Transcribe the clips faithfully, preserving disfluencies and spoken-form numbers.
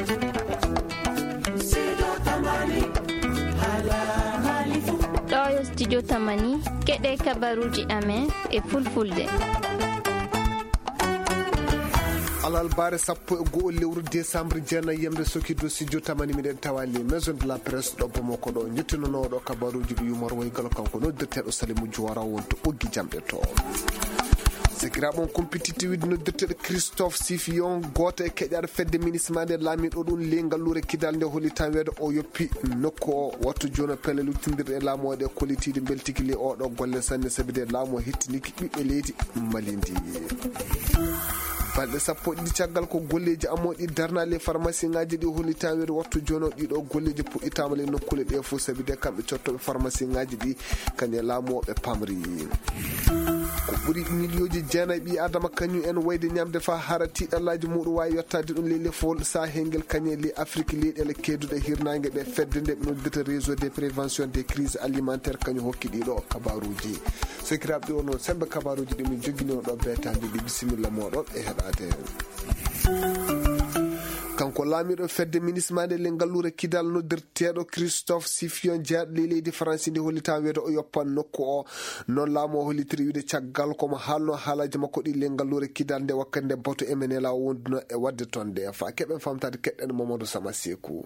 Ɗo yo studio Tamani, keɗe kabaruji amen e fulfulde. Alarba sappo e go'o lewru décembre, jeenayi yamre sokirdu studio Tamani, miɗen tawa le maison de la presse ɗo Bamako ɗo. Jettinoowo ɗo kabaruji ɗi yumor woygal kanko noddirteeɗo Salimu Juwara wonto ɓoggi jamɗe to. Sakiraaɓe, on compétitivité noddirteeɗo Christophe Sifion, gooto e keƴaaɗo fedde minisma nde laamiiɗo ɗum ley ngalluure kidal nde holli tan weedo o yoppi nokku o. Wattu jooni pelle luttindirɗe e laamu o ɗe kollitiiɗe mbeltiki ley oɗo golle sanne, sabi de laamu o hettiniki ɓiɓɓe leydi Mali ndi. Balɗe sappo e ɗiɗi caggal ko golleeji amoo ɗi darnaa ley farmasiŋaaji ɗi holli tan weedo wattu jooni o ɗiɗo golleeji puɗɗitaama ley nokkuule ɗe fof, sabi de kamɓe cottooɓe farmasiŋaaji ɗi kañum e laamu o ɓe pamri. Ko ɓuri miliyooji jeenayi ɓii Adama kañum en wayde ñamde faa hara tiiɗallaaji muɗum waawi yottaade ɗum ley lefol sahel ngel kañum e ley Afrik, leyɗeele keedduɗe hirnaange ɗe fedde nde ɓe noddirta réseau de prévention des crises alimentaires kañum hokki ɗiɗo kabaruuji. Sokiraaɓe, ɗi wonno sembe kabaruuji ɗi min jogginoo ɗo beetaade ɗi. Bisimilla mooɗon e heɗaade. Kanko laamiiɗo fedde minisma nde le ngalluure kidal noddirteeɗo Christophe Sifion, jeyaɗo ley leydi Faransi ndi hollitaa weedo o yoppan nokku o. Noon laamu o hollitiri wiide caggal komo haalno haalaaji makko ɗi le ngalluure kidal nde wakkati nde bato M N L A o wonduno e waɗde toon nde. Faa keɓen famtaade keɗɗen Mamadou Sama Seeku.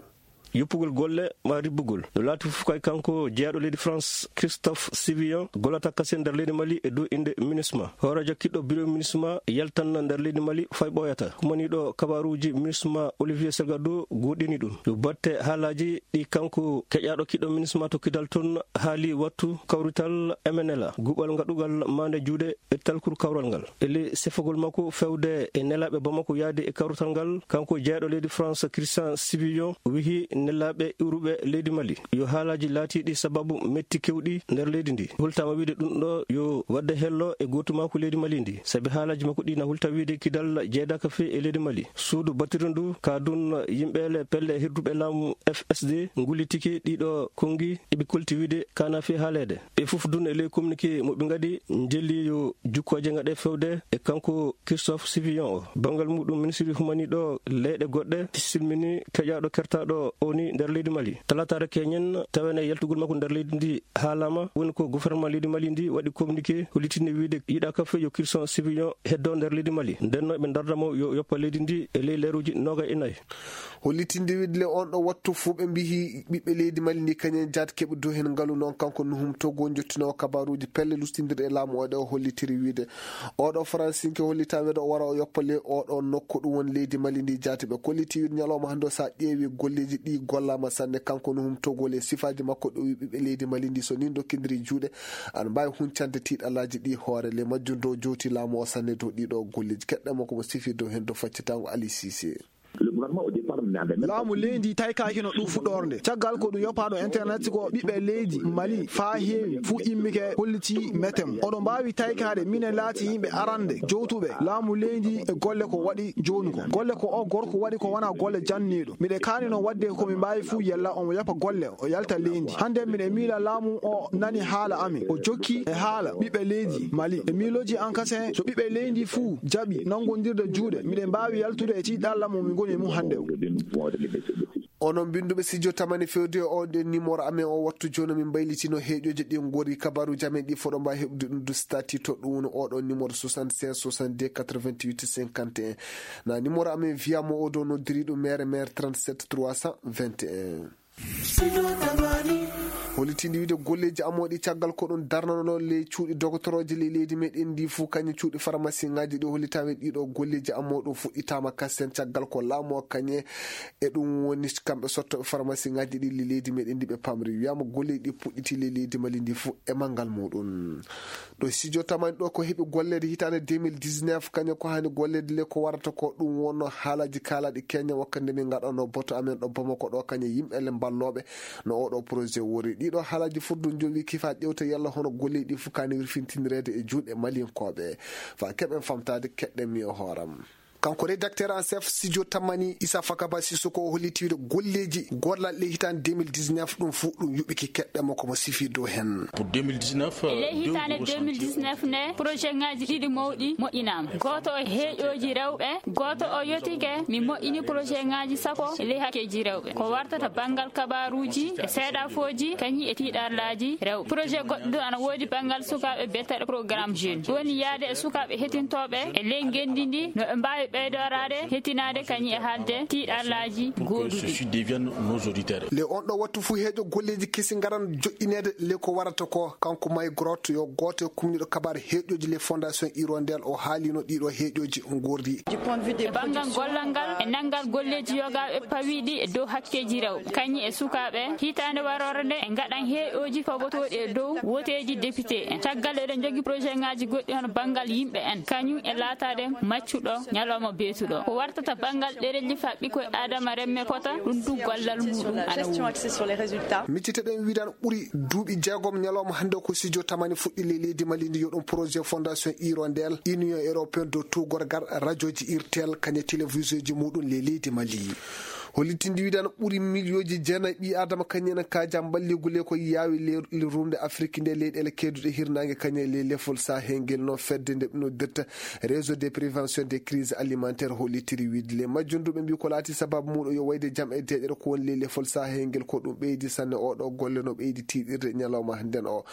Yoppugol golle ma ribbugol no laati fof kay kanko jeyaɗo leydi France Christophe Sivion gollata kasen nder leydi Mali e dow innde MINUSMA. Hooreejo kiɗɗo biro MINUSMA yaltanna nder leydi Mali fay ɓooyata. Humaniiɗo kabaruuji MINUSMA Olivier Salgado goɗɗini ɗum. Yo batte haalaaji ɗi kanko keƴaaɗo kiɗɗo MINUSMA to kidal toon haali wattu kawrital M N L A, guɓal ngaɗugal maande juuɗe e talkuru kawral ngal. E ley sefogol makko fewde e nelaaɓe Bamako yaade e kawrital ngal, kanko jeyaɗo leydi France Christian Sivion wihi nelaaɓe iwruɓe leydi Mali yo haalaaji laatiiɗi sababu metti kewɗi nder leydi ndi. Hultaama wiide ɗum ɗo yo waɗde hello e gootumaaku leydi Mali ndi, sabi haalaaji makko ɗi na hulta wiide kidal jeydaka fii e leydi Mali. Suudu batiri ndu ka dun yimɓe le pelle hirduɓe laamu F S D ngullitiki ɗiɗo konngi eɓe kolti wiide kana fii haaleede. Ɓe fof dun e ley communiqué mo ɓe ngaɗi njelli yo jukkooje ngaɗe fewde e kanko Christophe Sivion o. Banngal muɗum ministiri humaniiɗo leyɗe goɗɗe silmini keƴaaɗo kertaaɗo o ni nder leydi Mali. Talataare keñen tawene yaltugol makko nder leydi ndi haalaama woni ko gouvernement leydi Mali ndi waɗi communiqué hollitinde wiide yiɗaaka fii yo Christophe Sivion heddo nder leydi Mali. Nden noon ɓe darda mo yo yoppa leydi ndi e ley leeruuji noogay e nayi. Hollitinde wiide le on ɗo wattu fuu ɓe mbihi ɓiɓɓe leydi Mali ndi kañen jaati keɓe dow heen ngalu noon kanko Nuhum Togo jottinoowo kabaruuji pelle lustindirɗe e laamu o ɗe o hollitiri wiide oɗo Faransinke hollitaa weedo o wara o yoppa le oɗo nokku ɗum woni leydi Mali ndi jaati. Ɓe kolliti wiide ñalawma hannde o so a ƴeewi golleeji ɗi gollaama sanne kanko Nuhum Togo le sifaaji makko ɗo wi ɓiɓɓe leydi Mali ndi so ni dokkindiri juuɗe ana mbaawi huncande tiiɗalaaji ɗi hoore le majjum dow jowti laamu o sanne dow ɗiɗo golleeji keɗɗe makko mo sifi dow heen dow faccitaango Ali Sise. Laamu leydi taykaakino ɗum fuɗɗorde nde. Caggal ko ɗum yoppaaɗo internet ko ɓiɓɓe leydi Mali faa heewi fuu immike holliti metem. Oɗo mbaawi taykaade minen laati yimɓe arande jowtuɓe laamu leydi e golle ko waɗi jooni ko. Golle ko o gorko waɗi ko wona golle janniiɗo. Miɗe kaanino waɗde ko mi mbaawi fuu yalla omo yoppa golle o yalta leydi. Hannde miɗe miila laamu o nani haala amin. O jokki e haala ɓiɓɓe leydi Mali. E miilooji an kasen so ɓiɓɓe leydi fuu jaɓi nanngondirde juuɗe, miɗen mbaawi yaltude e tiiɗalla mo min ngoni e mum hannde o. Onon binnduɓe, si jo tamani fewde e oɗo nimoro amen o wattu jooni, min mbaylitino heeƴooji ɗi ngori kabaruuji amen ɗi foɗo mbaawi heɓude ɗum du stati to ɗum woni oɗo nimoro soixante-seize soixante-deux quatre-vingt-huit cinquante et un. Na nimoro amen wiya mo o dow noddiri ɗum mere mere trente-sept trois cent vingt et un. Hollitii ndi wiide golleeji amooɗi caggal ko ɗum darnanoo ley cuuɗi dogotorooji ley leydi meɗen ndi fuu, kañum cuuɗi farmasiŋaaji ɗi hollitaama e ɗiɗo golleeji amoo ɗum fuɗɗitaama kasen caggal ko laamu o kañe e ɗum woni kamɓe sottooɓe farmasiŋaaji ɗi ley leydi meɗen ndi ɓe pamri. Wiyaama golleeji ɗi puɗɗitii ley leydi Mali ndi fuu e manngal muɗum. Ɗo studio tamani ɗo ko heɓi golleede hitaande deux mille dix-neuf, kañum ko haani golleede le ko warata ko ɗum wonno haalaaji kaalaaɗi keña wakkati nde min ngaɗanno boto amen ɗo Bamako ɗo kañum yimɓe le mballooɓe no oɗo projet wori. Ɗiɗo haalaaji fof ɗum jom wi kifa ƴewta yalla hono golleeji ɗi fof kaani wirfintindireede e juuɗe Maliyankooɓe. Faa keɓen famtaade keɗɗen mi e hooram. Kanko rédacteur en chef studio Tamani, Issa Fakaba Sissoko, o holliti wiide golleeji gollal ɗe hitaande deux mille dix-neuf, ɗum fuu ɗum yuɓɓike keɗɗe makko mo sifi dow heen. Pour deux mille dix-neuf, e ley hitaande deux mille dix-neuf nde, projet ŋaaji ɗiɗi mawɗi moƴƴinaama. Gooto o heeƴooji rewɓe, gooto o yotike, mi moƴƴini projet ŋaaji sappo e ley hakkeeji rewɓe. Ko wartata banngal kabaaruuji e seeɗafooji, kañum e tiiɗallaaji rewɓe. Projet goɗɗo ɗum ana woodi banngal sukaaɓe biyeteeɗo programme jeune. Woni yahde e sukaaɓe heɗtintooɓe e ley ngenndi ndi, no ɓe mbaawi ɓeydoraade, heɗtinaade kañum e haalde tiiɗallaaji gooduɗi. Ceci deviennent nos auditeurs. Le on ɗo wattu fuu heeƴo golleeji kesi ngaran joƴƴineede le ko warata ko kanko May Grotte yo gooto e kumniiɗo kabaar heeƴooji le Fondation Hirondelle o haalino ɗiɗo heeƴooji ngorri. E banngal gollal ngal e nanngal golleeji yogaaɓe pawiiɗi e dow hakkeeji rewɓe, kañum e sukaaɓe, hitaande waroore nde e ngaɗan heeƴooji pabotooɗi e dow woteeji député en. Caggal eɗen njogi projet ŋaaji goɗɗi hono banngal yimɓe en, kañum e laataade maccuɗo ñalawma beetuɗo. Ko wartata banngal ɗereji faɓɓi koye Adama remme pota, ɗum du gollal muɗum ana woodi. Micciteɗen wiidan ɓuri duuɓi jeegom ñalawma hannde ko studio Tamani fuɗɗi le leydi Mali ndi, yo ɗum projet Fondation Hirondelle, Union Européenne dow tuugorgal, radioji irtel, kañe télévisionji muɗum le leydi Mali. Hollitindi wiidan ɓuri miliyooji jeenayi ɓii Adama kañum en kaaja mballigu le ko yaawi le, le rumde Afrik nde leyɗeele keeduɗe hirnaange kañum e le lefol Sahel ngel no fedde nde ɓe noddirta Réseau de prévention des crises alimentaires hollitiri wiide le majjunduɓe mbi ko laati sababu muɗum yo wayde jam e deeƴere ko woni le lefol Sahel ngel ko ɗum ɓeydi sanne oɗo golle no ɓeydi tiiɗirde ñalawma hannden o.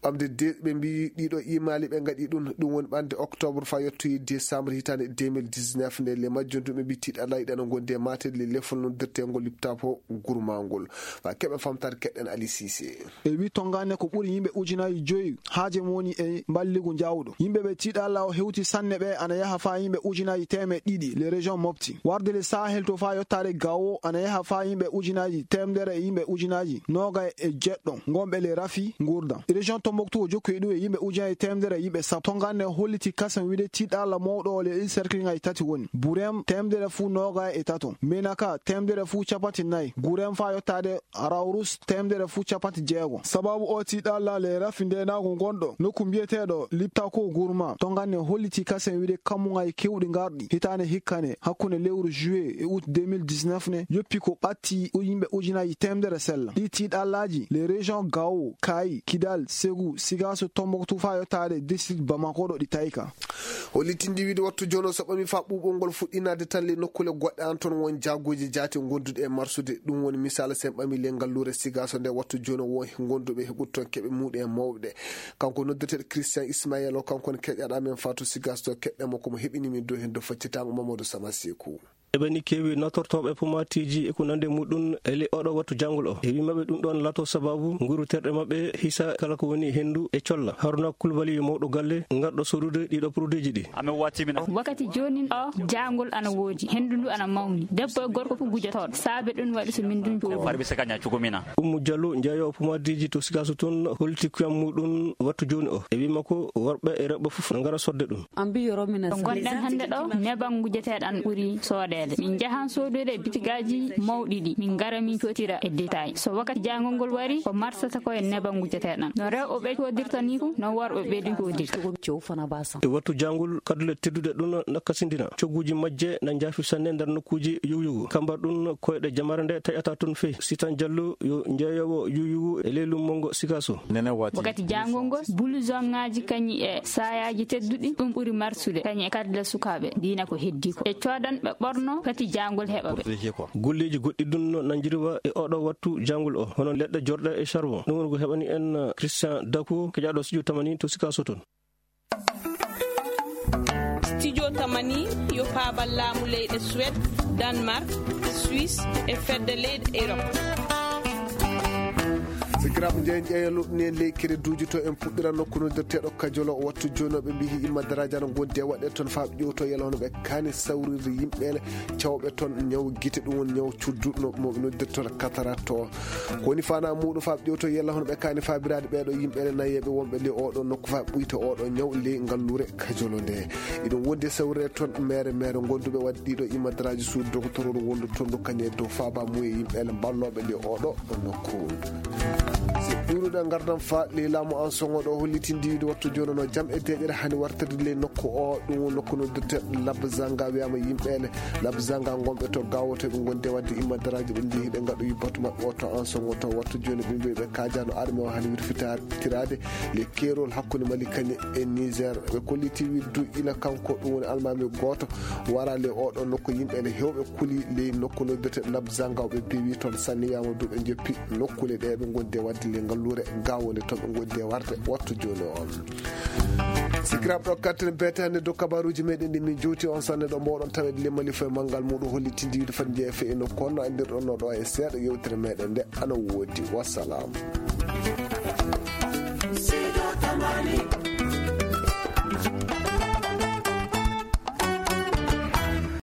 Ɓamde de ɓe mbi ɗiɗo imaali ɓe ngaɗi ɗum, ɗum woni ɓande octobre fa yettoyi décembre hitaande deux mille dix-neuf nde le majjunduɓe mbi tiiɗa layɗe no gondi e maate le lefol noddirtengol liptapo gurmangol. Fa keɓe famtare keɗɗen Ali Cissé. E wi tongane ko ɓuri yimɓe ujunaaji joyi haaje mum woni e mballigu jawɗo. Yimɓe ɓe tiiɗalla o hewti sanne ɓe ana yaha faa yimɓe ujunaaji teemeɗɗe ɗiɗi le région Mopti. Warde le Sahel to faa yottaade Gao ana yaha faa yimɓe ujunaaji teemedere e yimɓe ujunaaji noogay e jeɗɗo ngonɓe le rafi nguurdan. Région Tombouctou o jokki e ɗum e yimɓe ujunaaji teemedere e yimɓe sappo. Tongane holliti kasen wiide tiiɗalla mawɗo o le ɗi cercle ngaji tati woni. Burem teemedere fuu noogay e tato. Menaka teemedere fuu capati nayi. Gurem faa yottaade Raurus teemedere fuu cappanɗe jeego. Sababu o tiiɗalla le rafi ndeenaagu ngonɗo nokku mbiyeteeɗo Liptako Gurma, tongane holliti kasen wiide kammuŋaaji keewɗi ngarɗi hitaande hikkane hakkunde lewru juillet e août deux mille dix-neuf ne yoppi ko ɓatti u-, yimɓe ujunaaji teemedere sella. Ɗi tiiɗallaaji le région Gao, Kayi, Kidal, Ségou, Sigasso, Tombouctou faa yottaade district Bamako ɗo ɗi tayka. Hollitindi wiide wattu jooni o so ɓami faa ɓuuɓol ngol fuɗɗinaade tan le nokkuule goɗɗe an toon won jaaguuji jaati gonduɗe e marsude. Ɗum woni misaal sen ɓami le ngalluure Sigasso nde wattu jooni o won gonduɓe heɓude toon keɓe muɗum e mawɓe. Kanko noddeteeɗo Christian Ismaël o kanko ne keƴaɗa men faa to Sigasso to keɗɗe makko mo heɓini min dow heen dow faccitaango Mamadou Sama Sekou. Eɓe ni keewi natortooɓe pomaatiiji e ko nandi e muɗum e ley oɗo wattu janngol o. E wi maɓɓe ɗum ɗoon laato sababu nguru terɗe maɓɓe hisa kala ko woni henndu e colla. Haruna Kulbali mawɗo galle ngarɗo sorude ɗiɗo produitji ɗi. Amin wati min. Wakkati joonin o, jaangol ana woodi, henndu ndu ana mawni. Debbo e gorko fof gujotooɗo. Saabe ɗum waɗi so min ndun jooɗi. Ummu Jallo, jeeyoowo pomaatiiji to Sigasso toon, holliti kuyam muɗum wattu jooni o. E wi makko, worɓe e rewɓe fof no ngara sodde ɗum. Ɗo ngonɗen hannde ɗo, neban gujeteeɗan ɓuri soodeede. Min njahan soodoyde e bitigaaji mawɗi ɗi. Min ngara min cootira e détail. So wakkati jaangol ngol wari, ko marsata ko e neban gujeteeɗan. No rewɓe ɓe coodirta ni fof, no worɓe ɓe ɗin coodirta. E wattu jaangol, kadule tedduɗe ɗum nakkasindina. Cogguuji majje na njaafi sanne nder nokkuuji yuwyugu. Kambar ɗum koyɗe jamare nde taƴata toon fey. Sitan Jallo yo jeeyoowo yuwyugu e ley lummongo Sigasso. Wakkati jaangol ngol, bulusoŋaaji kañum e saayaaji tedduɗi, ɗum ɓuri marsude, kañum e kadle sukaaɓe, diina ko heddii ko. E coodan ɓe ɓorno, pati jaangol heɓa ɓe. Golleeji goɗɗi ɗum no nanjiriwa e oɗo wattu jaangol o, hono leɗɗe jorɗe e charbon. Ɗum woni ko heɓani en Christian Dako, keƴaɗo studio Tamani to Sigasso toon. Studio Tamani yo paabal laamu leyɗe Suède, Danemark, Suisse e fedde leyɗe Europe. Sikiraaɓe, njeyen ƴeewa luɗɗini en ley kereduuji to en puɗɗira nokku noddirteeɗo Kajolo. Wattu jooni o ɓe mbiyi himma daraaji ana ngondi e waɗde toon faa ɓe ƴeewto yalla hono ɓe kaani sawrirde yimɓeele cawɓe toon ñaw gite, ɗum woni ñaw cuddu no mo ɓe noddirta toon cataracte o. Ko woni faanaa muuɗum faa ɓe ƴeewto yalla hono ɓe kaani faabiraade ɓeeɗo yimɓeele nayeeɓe wonɓe ley oɗo nokku faa ɓuyta oɗo ñaw ley ngalluure Kajolo nde. Iɗum wondi e sawrirde toon meere meere gonduɓe waɗde ɗiɗo imadaraaji suudu dogotororu wondu toon ndu kañum e dow faaba mum e yimɓeele mballooɓe ley oɗo nokku. Si ɓuuruɗe ngardan fa ley laamu an soŋo ɗo hollitindi wiide wattu jooni no jam e deeƴere hani wartirde ley nokku o, ɗum woni nokku noddirteeɗo Labzanga. Wiyama yimɓe ele Labzanga gonɓe to gawoto ɓe gondi e wadde immadaraaji ɓe njehi ɓe ngaɗoyi batu maɓɓe o to an soŋo to wattu jooni ɓe mbiyi ɓe kaajano arme o hani wirfitiraade ley keerol hakkunde Mali kañe e Niger. Ɓe kolliti wiide du ila kanko ɗum woni almaami gooto wara ley oɗo nokku yimɓe ene hewɓe kuli ley nokku noddirte Labzanga o ɓe peewi toon sanni wiyama du ɓe joppi nokkule ɗe ɓe gondi e wadde ley ngalluure gawonde toon ɓe gondi e warde wattu jooni on. Sikiraaɓe ɗo katten beete hannde dow kabaruuji meɗen ɗi min jowti on sanne ɗo mbawɗon taweede ley Mali foye manngal muɗum hollitindi wiide fati jeeya fe e nokku on no anndirɗon no ɗo e seeɗa yewtere meɗen nde ana woodi. Wassalam.